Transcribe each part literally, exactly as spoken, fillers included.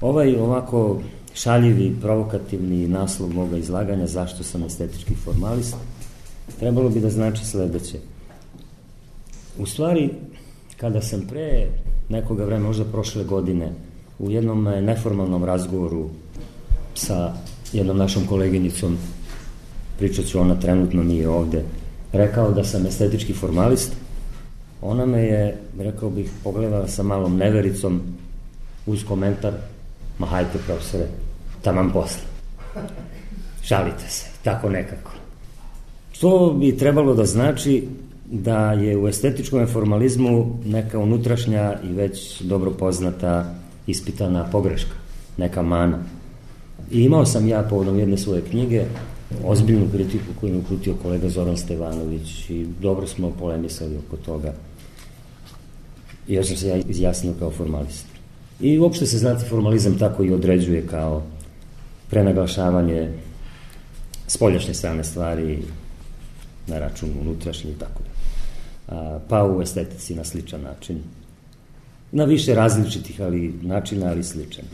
Ovaj ovako šaljivi, provokativni naslov moga izlaganja zašto sam estetički formalist trebalo bi da znači sledeće. U stvari, kada sam pre nekoga vremena, možda prošle godine, u jednom neformalnom razgovoru sa jednom našom koleginicom, pričat ću, ona trenutno nije ovde, rekao da sam estetički formalist, ona me je, rekao bih, pogledala sa malom nevericom uz komentar: ma hajte profesore, taman posle. Šalite se, tako nekako. To bi trebalo da znači da je u estetičkom formalizmu neka unutrašnja i već dobro poznata ispitana pogreška, neka mana. I imao sam ja povodom jedne svoje knjige ozbiljnu kritiku koju je uputio kolega Zoran Stevanović i dobro smo polemisali oko toga. I još sam se ja izjasnio kao formalist. I uopšte se, znate, formalizam tako i određuje kao prenaglašavanje spoljašnje strane stvari na račun unutrašnje i tako da. Pa u estetici na sličan način. Na više različitih ali načina, ali sličan.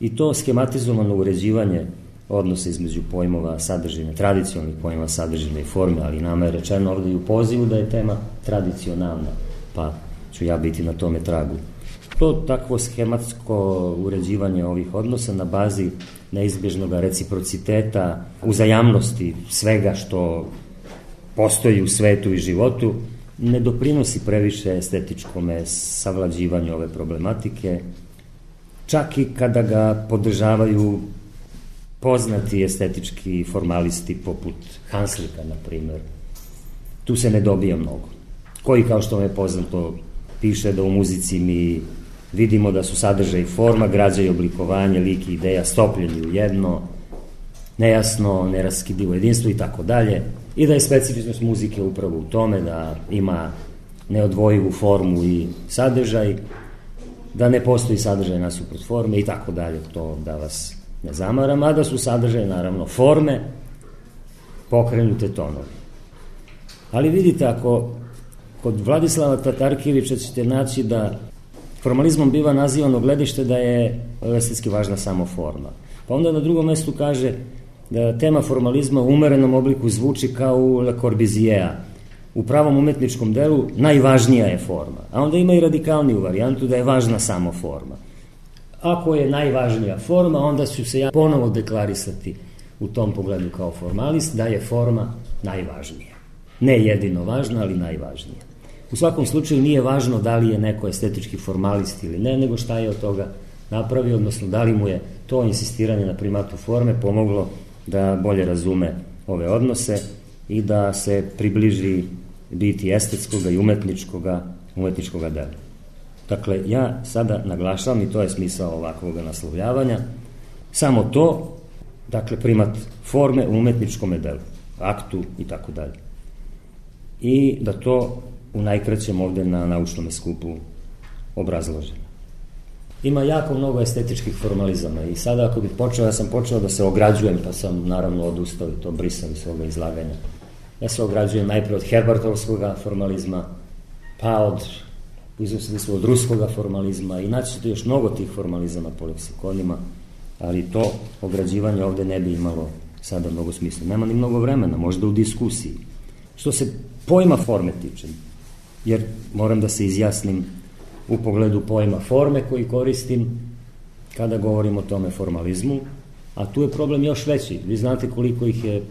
I to schematizovano uređivanje odnosa između pojmova sadržine, tradicionalnih pojmova sadržine i forme, ali nama je rečeno ovde i u pozivu da je tema tradicionalna, pa ću ja biti na tome tragu. To takvo schematsko uređivanje ovih odnosa na bazi neizbježnog reciprociteta, uzajamnosti svega što postoji u svetu i životu, ne doprinosi previše estetičkome savlađivanju ove problematike, čak i kada ga podržavaju poznati estetički formalisti poput Hanslika, na primer. Tu se ne dobija mnogo. Koji, kao što vam je poznato, piše da u muzici mi vidimo da su sadržaj i forma, građa i oblikovanje, lik i ideja stopljeni u jedno, nejasno, neraskidivo jedinstvo i tako dalje, i da je specifičnost muzike upravo u tome da ima neodvojivu formu i sadržaj, da ne postoji sadržaj nasuprot forme i tako dalje, to da vas ne zamaram, a da su sadržaj, naravno, forme, pokrenute tonovi. Ali vidite, ako kod Vladislava Tatarkijevića ćete naći da formalizmom biva nazivano gledište da je estetski važna samo forma. Pa onda na drugom mestu kaže da tema formalizma u umerenom obliku zvuči kao u Le Corbusiera. U pravom umetničkom delu najvažnija je forma, a onda ima i radikalniju varijantu da je važna samo forma. Ako je najvažnija forma, onda ću se ja ponovo deklarisati u tom pogledu kao formalist da je forma najvažnija. Ne jedino važna, ali najvažnija. U svakom slučaju nije važno da li je neko estetički formalist ili ne, nego šta je od toga napravio, odnosno da li mu je to insistiranje na primatu forme pomoglo da bolje razume ove odnose i da se približi biti estetskoga i umetničkoga, umetničkoga dela. Dakle, ja sada naglašavam, i to je smisao ovakvog naslovljavanja, samo to, dakle, primat forme u umetničkom delu, aktu i tako dalje. I da to u najkraćem ovde na naučnom skupu obrazložim. Ima jako mnogo estetičkih formalizama i sada ako bih počeo, ja sam počeo da se ograđujem, pa sam naravno odustao i to brisao iz svoga izlaganja. Ja se ograđujem najpre od Herbartovskog formalizma, pa od, izvesti od ruskoga formalizma i naći ćete još mnogo tih formalizama po leksikonima, ali to ograđivanje ovde ne bi imalo sada mnogo smisla. Nema ni mnogo vremena, možda u diskusiji. Što se pojma forme tiče, jer moram da se izjasnim u pogledu pojma forme koji koristim kada govorim o tome formalizmu, a tu je problem još veći. Vi znate koliko ih je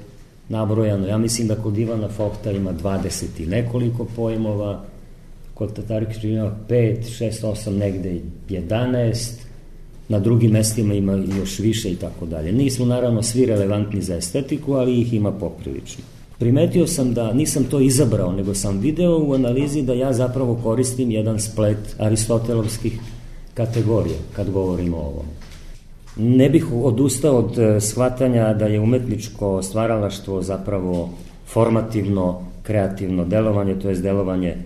nabrojano. Ja mislim da kod Ivana Fohta ima dvadeset i nekoliko pojmova, kod Tatarkića ima pet, šest, osam, negde jedanaest, na drugim mestima ima još više i tako dalje. Nisu naravno svi relevantni za estetiku, ali ih ima poprilično. Primetio sam da nisam to izabrao, nego sam video u analizi da ja zapravo koristim jedan splet aristotelovskih kategorija kad govorimo o ovom. Ne bih odustao od shvatanja da je umetničko stvaralaštvo zapravo formativno, kreativno delovanje, to je delovanje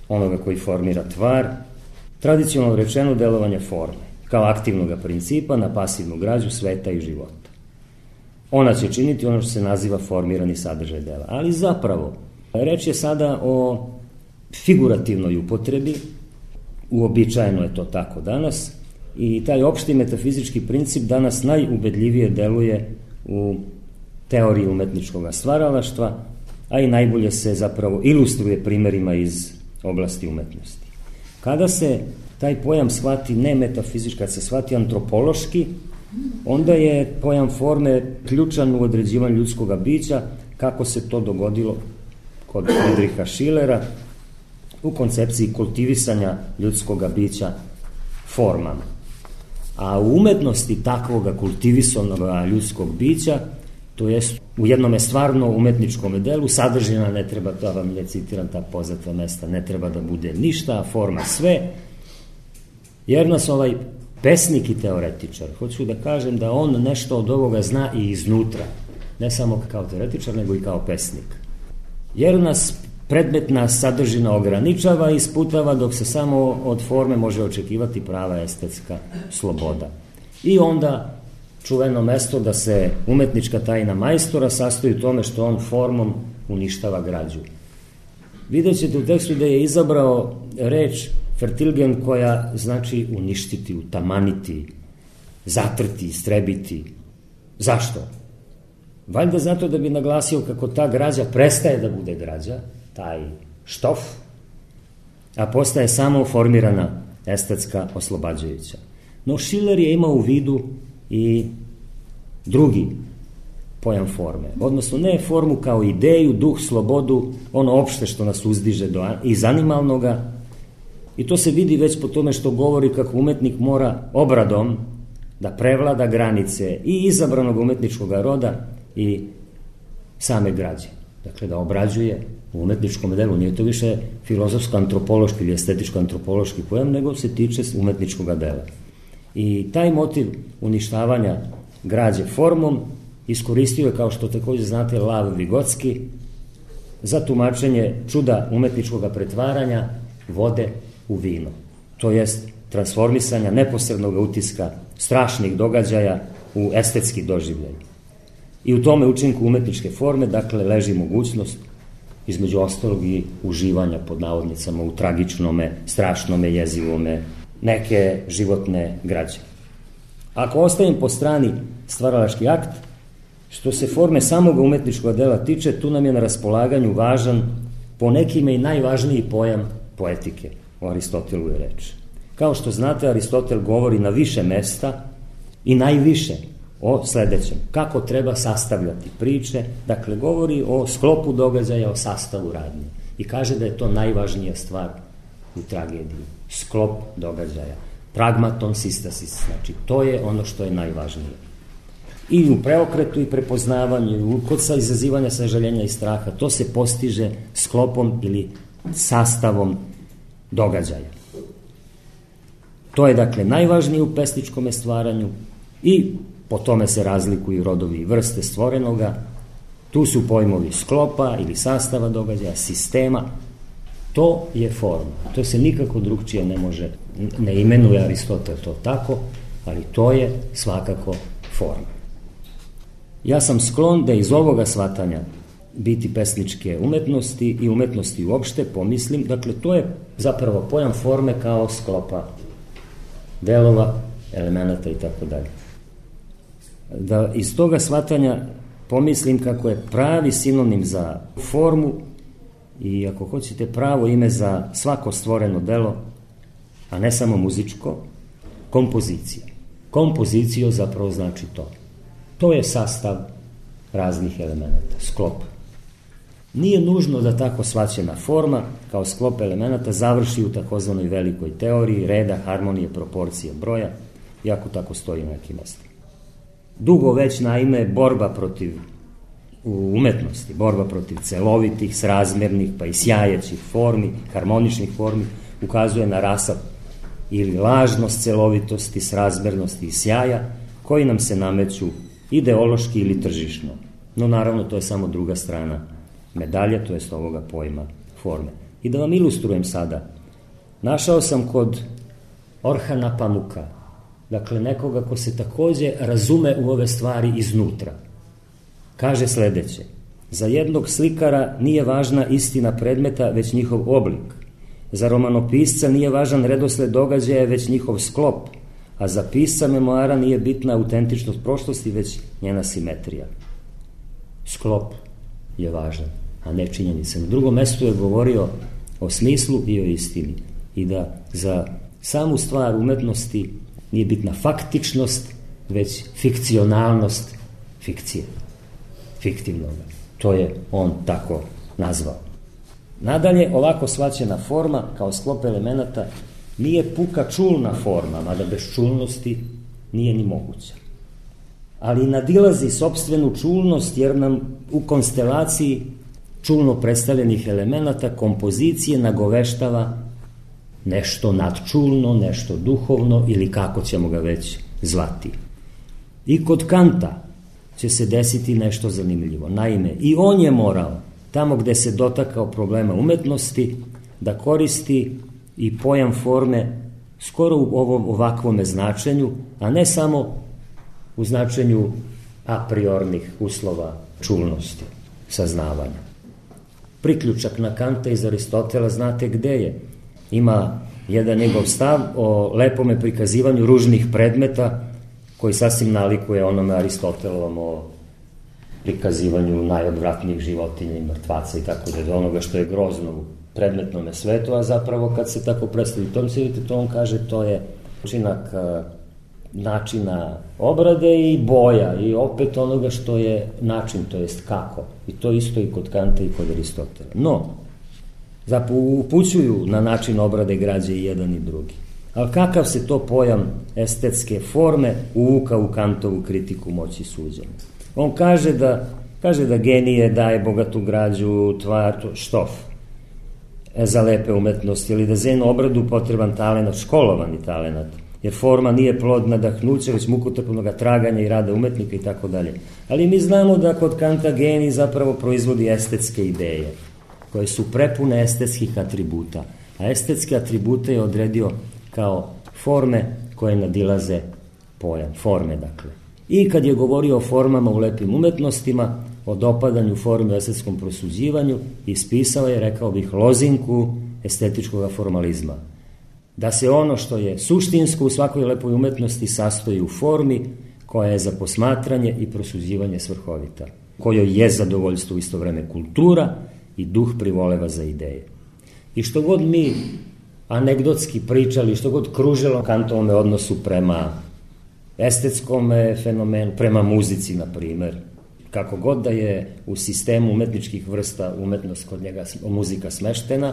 onoga koji formira tvar, tradicionalno rečeno delovanje forme, kao aktivnog principa na pasivnu građu sveta i života. Ona će činiti ono što se naziva formirani sadržaj dela. Ali zapravo, reč je sada o figurativnoj upotrebi, uobičajeno je to tako danas, i taj opšti metafizički princip danas najubedljivije deluje u teoriji umetničkog stvaralaštva, a i najbolje se zapravo ilustruje primjerima iz oblasti umetnosti. Kada se taj pojam shvati ne metafizički, kad se shvati antropološki, onda je pojam forme ključan u određivanju ljudskog bića, kako se to dogodilo kod Friedricha Schillera u koncepciji kultivisanja ljudskog bića formama. A u umetnosti takvoga kultivisanog ljudskog bića, to jest u jednom stvarno umetničkom delu, sadržina ne treba, da vam ne citiram ta poznata mesta, ne treba da bude ništa, a forma sve, jer nas ovaj pesnik i teoretičar, hoću da kažem da on nešto od ovoga zna i iznutra, ne samo kao teoretičar, nego i kao pesnik. Jer nas predmetna sadržina ograničava i sputava, dok se samo od forme može očekivati prava estetska sloboda. I onda čuveno mesto da se umetnička tajna majstora sastoji u tome što on formom uništava građu. Vidjet ćete u tekstu da je izabrao reč Vertilgen, koja znači uništiti, utamaniti, zatrti, istrebiti. Zašto? Valjda zato da bi naglasio kako ta građa prestaje da bude građa, taj štof, a postaje samo formirana estetska oslobađajuća. No Schiller je imao u vidu i drugi pojam forme, odnosno ne formu kao ideju, duh, slobodu, ono opšte što nas uzdiže do, iz animalnoga, i to se vidi već po tome što govori kako umetnik mora obradom da prevlada granice i izabranog umetničkog roda i same građe. Dakle, da obrađuje u umetničkom delu. Nije to više filozofsko-antropološki ili estetičko-antropološki pojam, nego se tiče umetničkog dela. I taj motiv uništavanja građe formom iskoristio je, kao što također znate, Lav Vigotski za tumačenje čuda umetničkog pretvaranja vode u vino. To jest transformisanja neposrednog utiska strašnih događaja u estetski doživljaj. I u tome učinku umetničke forme, dakle, leži mogućnost, između ostalog i uživanja pod navodnicama u tragičnome, strašnome, jezivome, neke životne građe. Ako ostavim po strani stvaralački akt, što se forme samog umetničkog dela tiče, tu nam je na raspolaganju važan, po nekime i najvažniji pojam poetike. O Aristotelu je reč. Kao što znate, Aristotel govori na više mesta i najviše o sledećem. Kako treba sastavljati priče, dakle, govori o sklopu događaja, o sastavu radnje. I kaže da je to najvažnija stvar u tragediji. Sklop događaja. Pragmaton systasis. Znači, to je ono što je najvažnije. I u preokretu i prepoznavanju, kod sa izazivanja sažaljenja i straha, to se postiže sklopom ili sastavom događaja. To je, dakle, najvažnije u pesničkom stvaranju i po tome se razlikuju rodovi i vrste stvorenoga. Tu su pojmovi sklopa ili sastava događaja, sistema. To je forma. To se nikako drugčije ne može, ne imenuje Aristotel to tako, ali to je svakako forma. Ja sam sklon da iz ovoga shvatanja biti pesničke umetnosti i umetnosti uopšte pomislim, dakle, to je zapravo pojam forme kao sklopa delova, elemenata i tako dalje. Da iz toga shvatanja pomislim kako je pravi sinonim za formu i, ako hoćete, pravo ime za svako stvoreno delo, a ne samo muzičko, kompozicija. Kompozicio zapravo znači to. To je sastav raznih elemenata, sklop. Nije nužno da tako shvaćena forma kao sklop elemenata završi u takozvanoj velikoj teoriji reda, harmonije, proporcije, broja, iako tako stoji na nekim mestima. Dugo već, naime, borba protiv u umetnosti, borba protiv celovitih, srazmernih, pa i sjajećih formi, harmoničnih formi, ukazuje na rasap ili lažnost celovitosti, srazmernosti i sjaja, koji nam se nameću ideološki ili tržišno. No, naravno, to je samo druga strana medalja, to jest ovoga pojma forme. I da vam ilustrujem sada, našao sam kod Orhana Pamuka, dakle, nekoga ko se takođe razume u ove stvari iznutra. Kaže sledeće: za jednog slikara nije važna istina predmeta, već njihov oblik. Za romanopisca nije važan redosled događaja, već njihov sklop. a za pisca memoara nije bitna autentičnost prošlosti, već njena simetrija. Sklop je važan, a ne činjenica. Na drugom mestu je govorio o smislu i o istini i da za samu stvar umetnosti nije bitna faktičnost, već fikcionalnost fikcije, fiktivnoga. To je on tako nazvao. Nadalje, ovako shvaćena forma kao sklop elemenata nije puka čulna forma, mada bez čulnosti nije ni moguća. Ali nadilazi sopstvenu čulnost jer nam u konstelaciji čulno predstavljenih elemenata kompozicije nagoveštava nešto nadčulno, nešto duhovno ili kako ćemo ga već zvati. I kod Kanta će se desiti nešto zanimljivo. Naime, i on je morao, tamo gde se dotakao problema umetnosti, da koristi i pojam forme skoro u ovom ovakvome značenju, a ne samo u značenju a priornih uslova čulnosti, saznavanja. Priključak na Kanta iz Aristotela znate gde je. Ima jedan njegov stav o lepome prikazivanju ružnih predmeta koji sasvim nalikuje onome Aristotelovom o prikazivanju najodvratnijih životinja i mrtvaca i tako da je onoga što je grozno u predmetnome svetu, a zapravo kad se tako predstavi, to se vidite, to on kaže, to je učinak načina obrade i boja i opet onoga što je način, to jest kako. I to isto i kod Kanta i kod Aristotela. No, zapravo upućuju na način obrade građe i jedan i drugi. Ali kakav se to pojam estetske forme uvuka u Kantovu kritiku moći suđenja? On kaže da, kaže da genije daje bogatu građu, tvar, štof za lepe umetnosti, ili da za jednu obradu potreban talenat, školovani talenat, jer forma nije plod nadahnuća, već mukotrpnog traganja i rada umetnika i tako dalje. Ali mi znamo da kod Kanta genij zapravo proizvodi estetske ideje, koje su prepune estetskih atributa. A estetske atribute je odredio kao forme koje nadilaze pojam, forme dakle. I kad je govorio o formama u lepim umetnostima, o dopadanju forme u estetskom prosuđivanju, ispisao je, rekao bih, lozinku estetičkog formalizma. Da se ono što je suštinsko u svakoj lepoj umetnosti sastoji u formi koja je za posmatranje i prosuđivanje svrhovita, kojoj je zadovoljstvo u isto vreme kultura i duh privoleva za ideje. I što god mi anegdotski pričali, što god kružilo Kantovome odnosu prema estetskom fenomenu, prema muzici, na primer, kako god da je u sistemu umetničkih vrsta umetnost kod njega, muzika smeštena,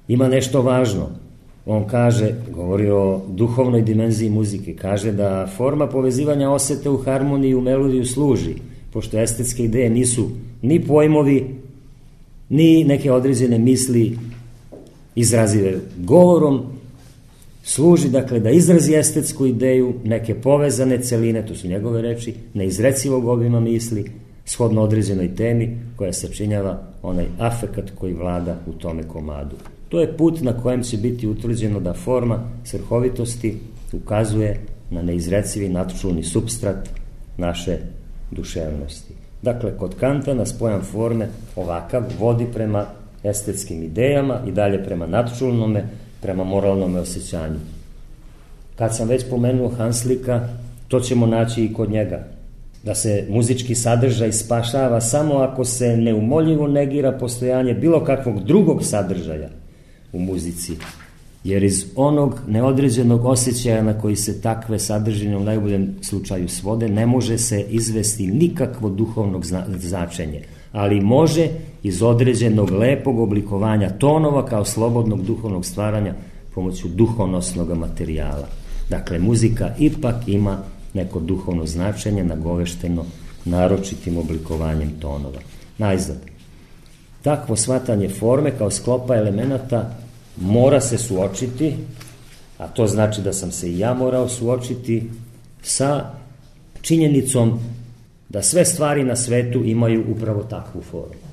ima nešto važno. On kaže, govori o duhovnoj dimenziji muzike, kaže da forma povezivanja osete u harmoniji i u melodiju služi, pošto estetske ideje nisu ni pojmovi, ni neke određene misli izrazive govorom, služi dakle da izrazi estetsku ideju, neke povezane celine, to su njegove reči, neizrecivog obima misli, shodno određenoj temi koja sačinjava onaj afekat koji vlada u tome komadu. To je put na kojem će biti utvrđeno da forma svrhovitosti ukazuje na neizrecivi nadčulni supstrat naše duševnosti. Dakle, kod Kanta nas pojam forme ovakav vodi prema estetskim idejama i dalje prema nadčulnome, prema moralnome osjećanju. Kad sam već pomenuo Hanslika, to ćemo naći i kod njega. Da se muzički sadržaj spašava samo ako se neumoljivo negira postojanje bilo kakvog drugog sadržaja u muzici, jer iz onog neodređenog osjećaja na koji se takve sadržine u najboljem slučaju svode, ne može se izvesti nikakvo duhovno značenje, ali može iz određenog lepog oblikovanja tonova kao slobodnog duhovnog stvaranja pomoću duhonosnog materijala. Dakle, muzika ipak ima neko duhovno značenje nagovešteno naročitim oblikovanjem tonova. Najzad, takvo shvatanje forme kao sklopa elemenata mora se suočiti, a to znači da sam se i ja morao suočiti sa činjenicom da sve stvari na svetu imaju upravo takvu formu.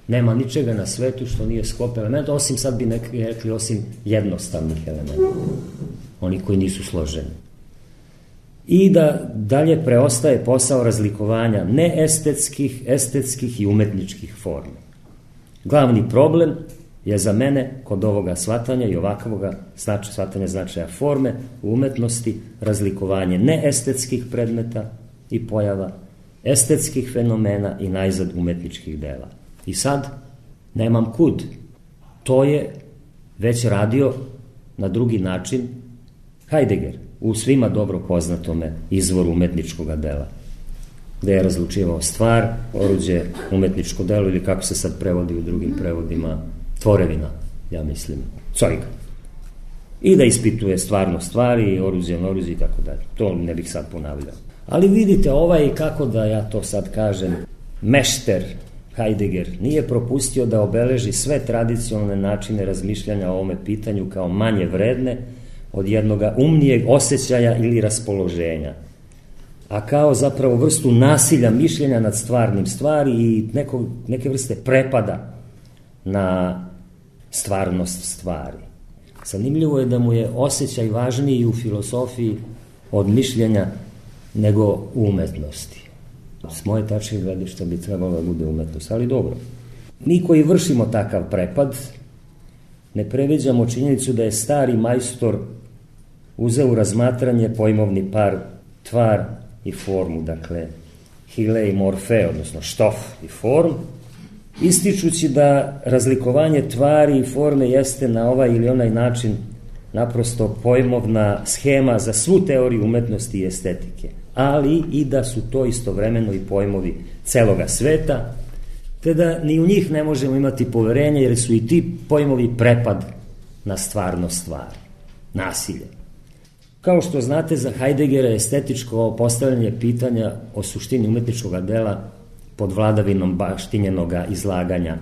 Nema ničega na svetu što nije sklop elementa, osim, sad bi neki rekli, osim jednostavnih elementa, oni koji nisu složeni. I da dalje preostaje posao razlikovanja neestetskih, estetskih i umetničkih forma. Glavni problem je za mene kod ovoga shvatanja i ovakvoga znači, shvatanja značaja forme u umetnosti razlikovanje neestetskih predmeta i pojava, estetskih fenomena i najzad umetničkih dela. I sad nemam kud. To je već radio na drugi način Heidegger u svima dobro poznatome izvoru umetničkog dela, gde je razlučivao stvar, oruđe, umetničko delo ili kako se sad prevodi u drugim prevodima, tvorevina, ja mislim, Zeuge. I da ispituje stvarno stvari, oruđe, oruđe i tako dalje. To ne bih sad ponavljao. Ali vidite, ovaj, kako da ja to sad kažem, mešter Heidegger nije propustio da obeleži sve tradicionalne načine razmišljanja o ovome pitanju kao manje vredne od jednoga umnijeg osjećaja ili raspoloženja, a kao zapravo vrstu nasilja mišljenja nad stvarnim stvari i neko, neke vrste prepada na stvarnost stvari. Zanimljivo je da mu je osjećaj važniji u filosofiji od mišljenja nego u umetnosti. S moje tačke gledišta bi trebalo da bude umetnost, ali dobro. Mi koji vršimo takav prepad, ne previđamo činjenicu da je stari majstor uzeo u razmatranje pojmovni par tvar i formu, dakle hile i morfe, odnosno štof i form, ističući da razlikovanje tvari i forme jeste na ovaj ili onaj način naprosto pojmovna schema za svu teoriju umetnosti i estetike, ali i da su to istovremeno i pojmovi celoga sveta, te da ni u njih ne možemo imati poverenje, jer su i ti pojmovi prepad na stvarno stvari, nasilje. Kao što znate, za Heideggera je estetičko postavljanje pitanja o suštini umetničkog dela pod vladavinom baštinjenoga izlaganja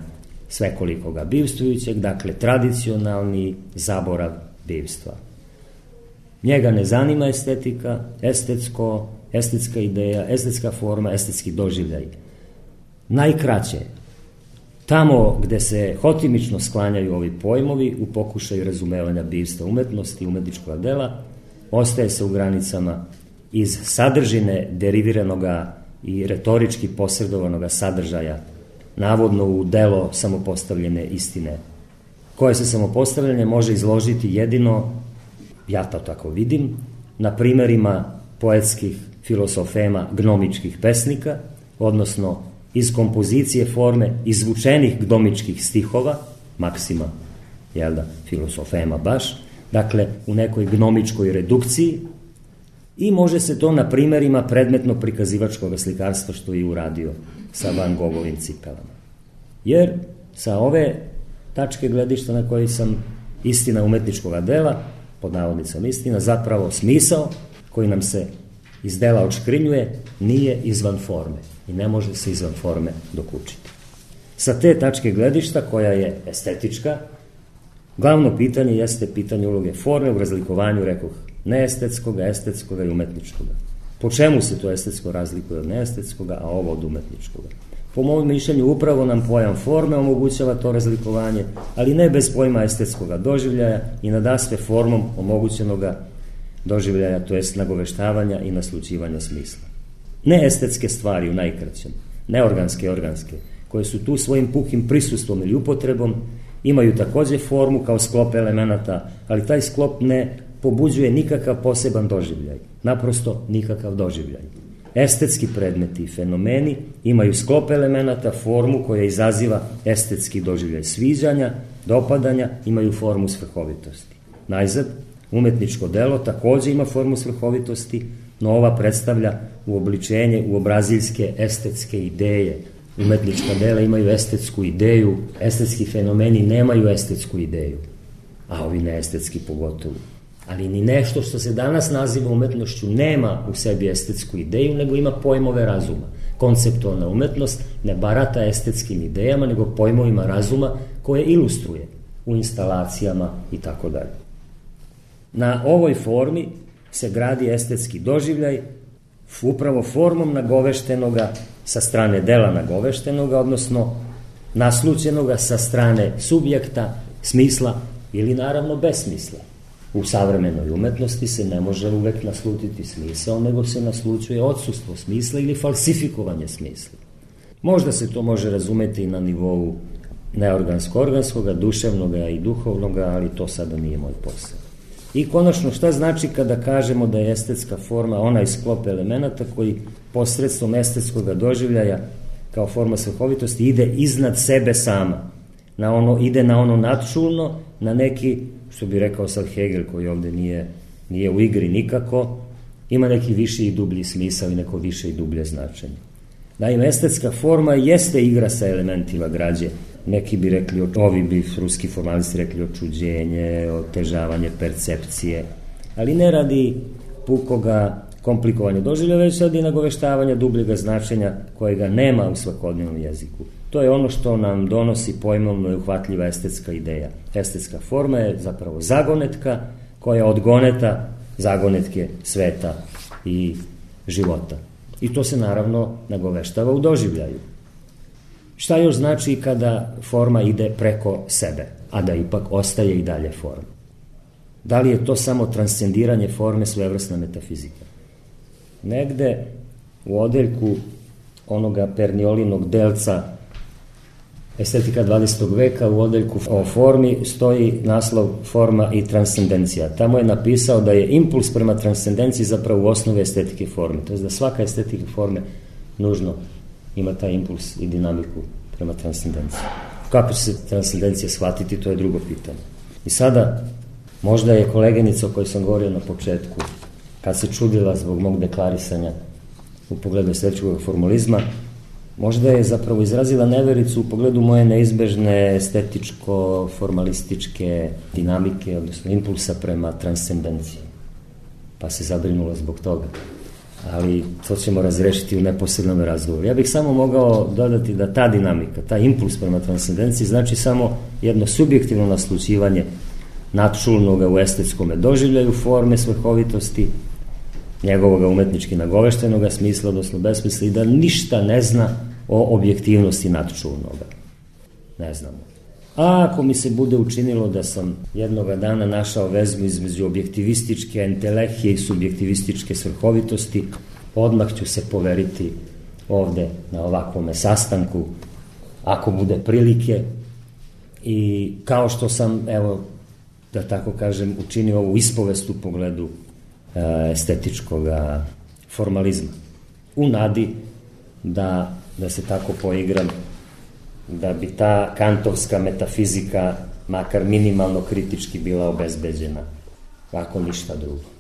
svekolikoga bivstvujućeg, dakle tradicionalni zaborav bivstva. Njega ne zanima estetika, estetsko, estetska ideja, estetska forma, estetski doživljaj. Najkraće, tamo gde se hotimično sklanjaju ovi pojmovi u pokušaju razumevanja bivstva umetnosti i umetničkog dela, ostaje se u granicama iz sadržine deriviranoga i retorički posredovanoga sadržaja, navodno u delo samopostavljene istine, koje se samopostavljanje može izložiti jedino, ja to tako vidim, na primerima poetskih filosofema gnomičkih pesnika, odnosno iz kompozicije forme izvučenih gnomičkih stihova, maksima, jel da, filosofema baš, dakle u nekoj gnomičkoj redukciji, i može se to na primerima predmetno prikazivačkog slikarstva što je uradio sa Van Gogovim cipelama. Jer sa ove tačke gledišta na koji sam istina umetničkog dela, pod navodnicom istina, zapravo smisao koji nam se iz dela odškrinjuje, nije izvan forme i ne može se izvan forme dokučiti. Sa te tačke gledišta, koja je estetička, glavno pitanje jeste pitanje uloge forme u razlikovanju, rekoh, neestetskoga, estetskoga i umetničkoga. Po čemu se to estetsko razlikuje od neestetskoga, a ovo od umetničkoga? Po mojom mišljenju upravo nam pojam forme omogućava to razlikovanje, ali ne bez pojma estetskoga doživljaja i nadasve formom omogućenoga doživljaja, to jest nagoveštavanja i naslućivanja smisla. Neestetske stvari u najkraćem, neorganske i organske, koje su tu svojim pukim prisustvom ili upotrebom, imaju takođe formu kao sklop elemenata, ali taj sklop ne pobuđuje nikakav poseban doživljaj, naprosto nikakav doživljaj. Estetski predmeti i fenomeni imaju sklop elemenata, formu koja izaziva estetski doživljaj sviđanja, dopadanja, imaju formu svrhovitosti. Najzad, umetničko delo takođe ima formu svrhovitosti, no ova predstavlja uobličenje u obraziljske estetske ideje. Umetnička dela imaju estetsku ideju, estetski fenomeni nemaju estetsku ideju, a ovi neestetski pogotovo. Ali ni nešto što se danas naziva umetnošću nema u sebi estetsku ideju, nego ima pojmove razuma. Konceptualna umetnost ne barata estetskim idejama, nego pojmovima razuma koje ilustruje u instalacijama i tako dalje. Na ovoj formi se gradi estetski doživljaj, upravo formom nagoveštenoga sa strane dela nagoveštenoga, odnosno naslućenoga sa strane subjekta, smisla ili naravno besmisla. U savremenoj umetnosti se ne može uvek naslutiti smisao, nego se naslućuje odsustvo smisla ili falsifikovanje smisla. Možda se to može razumeti i na nivou neorgansko-organskoga, duševnoga i duhovnoga, ali to sada nije moj posao. I konačno, šta znači kada kažemo da je estetska forma onaj sklop elemenata koji posredstvom estetskog doživljaja kao forma svrhovitosti ide iznad sebe sama, na ono, ide na ono nadčulno, na neki, što bi rekao sad Hegel, koji ovde nije, nije u igri nikako, ima neki viši i dublji smisao i neko više i dublje značenje. Naime, estetska forma jeste igra sa elementima građe. Neki bi rekli, ovi bi ruski formalisti rekli očuđenje, otežavanje percepcije, ali ne radi pukoga komplikovanja doživljaja, već radi nagoveštavanja dubljega značenja kojega nema u svakodnevnom jeziku. To je ono što nam donosi pojmovno i uhvatljiva estetska ideja. Estetska forma je zapravo zagonetka koja odgoneta zagonetke sveta i života. I to se naravno nagoveštava u doživljaju. Šta još znači kada forma ide preko sebe, a da ipak ostaje i dalje forma? Da li je to samo transcendiranje forme, svojevrsna metafizika? Negde u odeljku onoga Perniolinog delca Estetika dvadesetog veka, u odeljku o formi stoji naslov Forma i transcendencija. Tamo je napisao da je impuls prema transcendenciji zapravo u osnovi estetike forme. To je da svaka estetika forme nužno ima taj impuls i dinamiku prema transcendenciji. Kako će se transcendencija shvatiti, to je drugo pitanje. I sada, možda je koleginica o kojoj sam govorio na početku, kad se čudila zbog mog deklarisanja u pogledu estetičkog formalizma, možda je zapravo izrazila nevericu u pogledu moje neizbežne estetičko-formalističke dinamike, odnosno impulsa prema transcendenciji. Pa se zabrinula zbog toga. Ali to ćemo razrešiti u neposrednom razgovoru. Ja bih samo mogao dodati da ta dinamika, ta impuls prema transcendenciji znači samo jedno subjektivno naslućivanje nadčulnoga u estetskom doživljaju forme svrhovitosti, njegovoga umetnički nagoveštenoga smisla, odnosno besmisla, i da ništa ne zna o objektivnosti nadčulnoga. Ne znamo. A ako mi se bude učinilo da sam jednoga dana našao vezu između objektivističke entelehije i subjektivističke svrhovitosti, odmah ću se poveriti ovde na ovakvome sastanku, ako bude prilike, i kao što sam, evo, da tako kažem, učinio ovu ispovest u pogledu e, estetičkog formalizma. U nadi da, da se tako poigram, da bi ta kantovska metafizika makar minimalno kritički bila obezbeđena, ako ništa drugo.